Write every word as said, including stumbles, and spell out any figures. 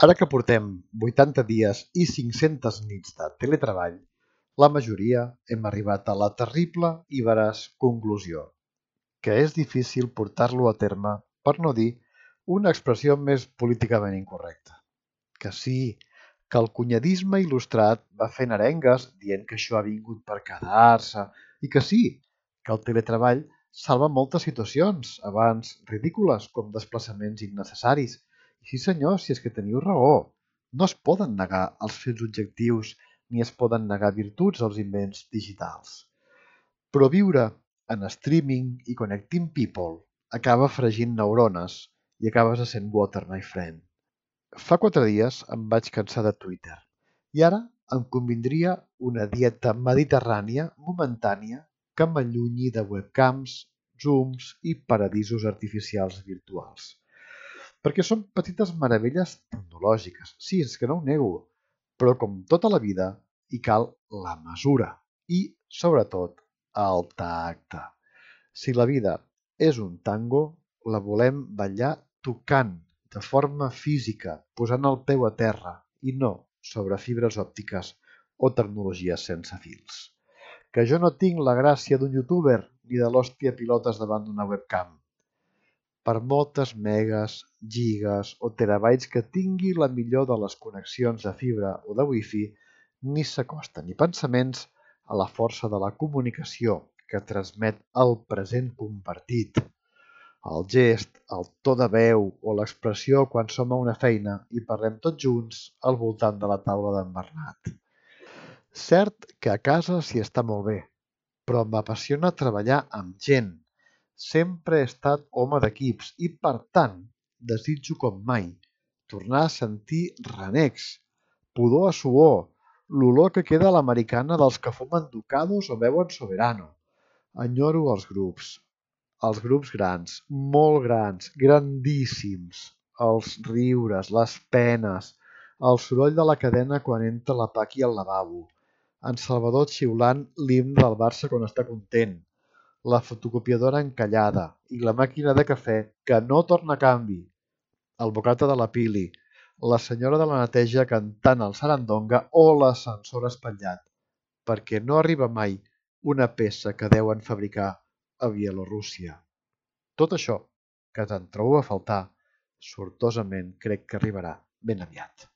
Ara que portem vuitanta dies i cinc-centes nits de teletreball, la majoria hem arribat a la terrible i veraç conclusió que és difícil portar-lo a terme, per no dir una expressió més políticament incorrecta. Que sí, que el cunyadisme il·lustrat va fent arengues dient que això ha vingut per quedar-se i que sí, que el teletreball salva moltes situacions, abans ridícules com desplaçaments innecessaris. I sí senyor, si és que teniu raó, no es poden negar els fets objectius ni es poden negar virtuts als invents digitals. Però viure en streaming i connecting people acaba fregint neurones i acabes essent water, my friend. Fa quatre dies em vaig cansar de Twitter i ara em convindria una dieta mediterrània momentània que m'allunyi de webcams, zooms i paradisos artificials virtuals. Perquè són petites meravelles tecnològiques, sí, és que no ho nego, però com tota la vida hi cal la mesura i, sobretot, el tacte. Si la vida és un tango, la volem ballar tocant, de forma física, posant el peu a terra i no sobre fibres òptiques o tecnologies sense fils. Que jo no tinc la gràcia d'un youtuber ni de l'hòstia pilotes davant d'una webcam. Per moltes megas, gigas o terabytes que tingui la millor de les connexions de fibra o de wifi, ni s'acosta ni pensaments a la força de la comunicació que transmet el present compartit. El gest, el to de veu o l'expressió quan som a una feina i parlem tots junts al voltant de la taula d'en Bernat. Cert que a casa s'hi està molt bé, però m'apassiona treballar amb gent. Sempre he estat home d'equips i, per tant, desitjo com mai tornar a sentir renecs, pudor a suor, l'olor que queda a l'americana dels que fumen ducados o beuen soberano. Enyoro els grups, els grups grans, molt grans, grandíssims, els riures, les penes, el soroll de la cadena quan entra la Paqui al lavabo, en Salvador xiulant l'himne del Barça quan està content, la fotocopiadora encallada i la màquina de cafè que no torna a canvi, el bocata de la Pili, la senyora de la neteja cantant el sarandonga o l'ascensor espatllat, perquè no arriba mai una peça que deuen fabricar a Bielorússia. Tot això, que te'n trobo a faltar, sortosament crec que arribarà ben aviat.